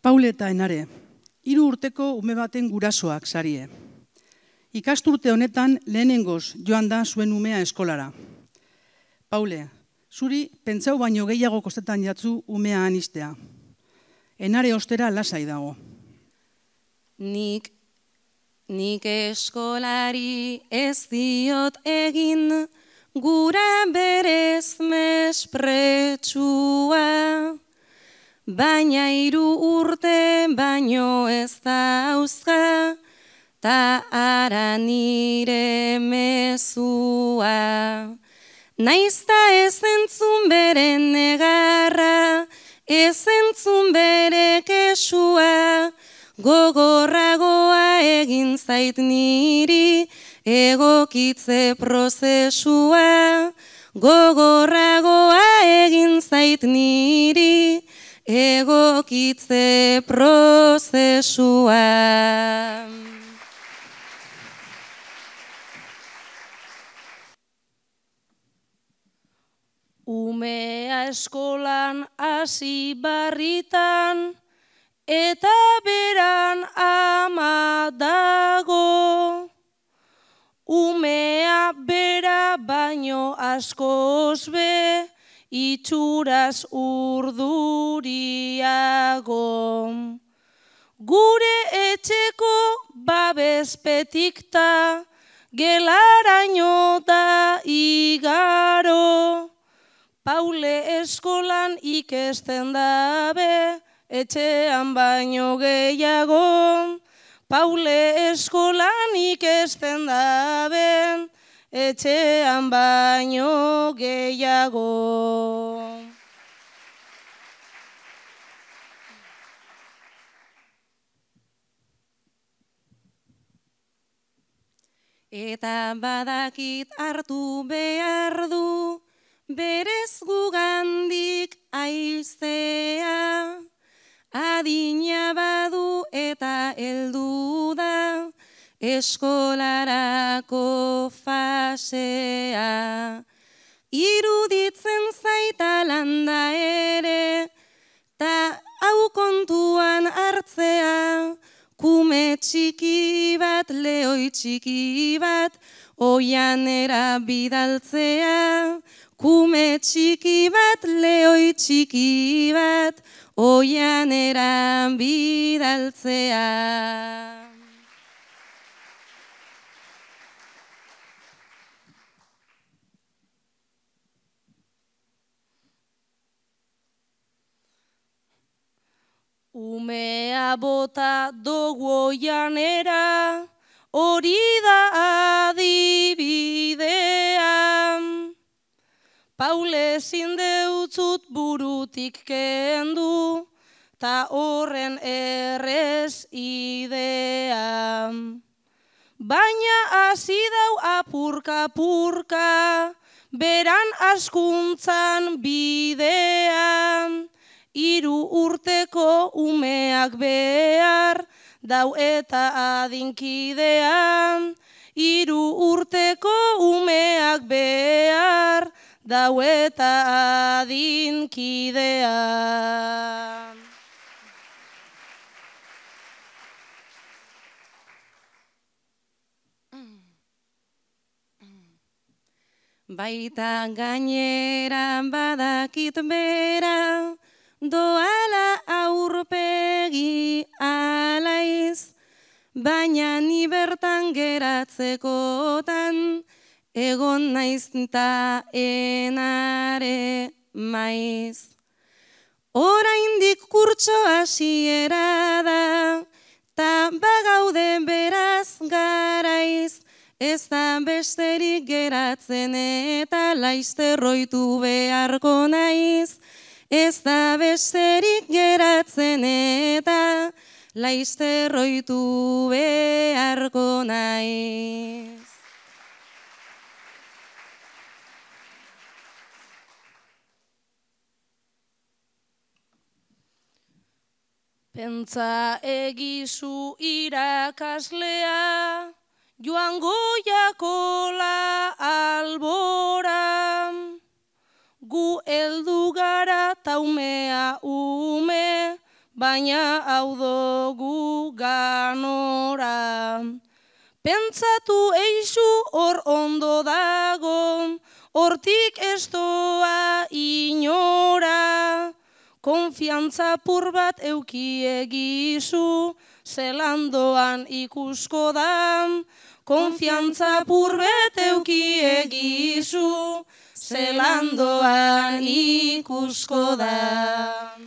Paule eta Enare, 3 urteko ume baten gurasoak sarie. Ikasturte honetan lehenengoz joan da zuen umea eskolara. Paule, zuri pentsau baino gehiago kostetan jatzu umea anistea. Enare ostera lasai dago. Nik eskolari ez diot egin, gura berez mespretsua. Baina 3 urte baino ez dauzka, ta ara nire mezua. Naizta ez entzun bere negarra, ez entzun bere kesua, gogorragoa egin zait niri egokitze prozesua. Gogorragoa egin zait niri egokitze prozesua. Umea eskolan hasi barritan, eta beran ama dago. Umea bera baino askoz be, itxuraz urduriago. Gure etxeko babespetik ta, gelaraino da igaro. Paule eskolan ikesten dabe, etxean baino gehiago. Paule eskolan ikesten dabe, etxean baino gehiago. Eta badakit hartu behar du, berez gugandik aiztea. Adina badu eta heldu da, eskolarako fasea. Iruditzen zaita landa ere, ta hau kontuan hartzea. Kume txiki bat, lehoi txiki bat, oianera bidaltzea. Kume txiki bat, lehoi txiki bat, oianera bidaltzea. Umea bota dugu oianera, hori da adibidea. Paule ezin deutzut burutik kendu, ta horren errez idea. Baina hasi dau apurka-purka, beran askuntzan bidean. 3 urteko umeak behar, dau eta adinkidean. 3 urteko umeak behar, dau eta adinkidean. Baita gainera badakit bera, doala aurpegi alaiz, baina ni bertan geratzekotan, egon naiz ta Enare maiz. Oraindik kurtso hasiera da, ta bagaude beraz garaiz, ez da besterik geratzen eta laizterroitu beharko naiz. Ez da besterik geratzen eta laizterroitu beharko naiz. Pentsa egizu irakaslea, joango jakola albora. Gu heldu gara taumea ume, baina hau dugu ganora. Pentsatu eixu hor ondo dago, hortik ez doa inora. Konfiantza pur bat euki egizu, zelandoan ikusko da. Konfiantza pur bat euki egizu, zelandoan ikusko da.